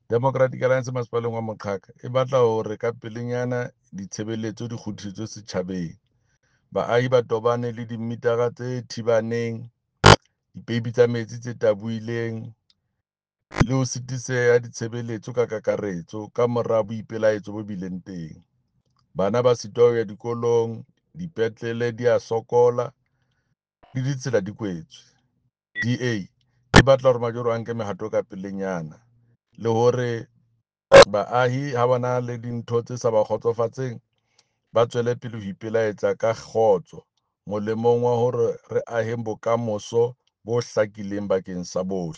Democratic Alliance masepaleng wa Moqhaka e batla hore ka pelenyana ditshebeletso di kgutlisetswe setjhabeng. Baahi ba tobane le dimitara tse thibaneng, dipeipi tsa metsi tse tabohileng le ho sitiseha ha ditshebeletso ka kakaretso kamora boipelaetso bo bileng teng. Bana ba sitwa ho ya dikolong, dipetlele di a sokola le ditsela di kwetswe. DA e batla hore majoro a nke mehato ka pelenyana le hore baahi ha ba na le dintho tse sa ba kgotsofatseng ba tswele pele ho ipelaetsa ka kgotso molemong wa hore re aheng bokamoso bo hlakileng bakeng sa bohle.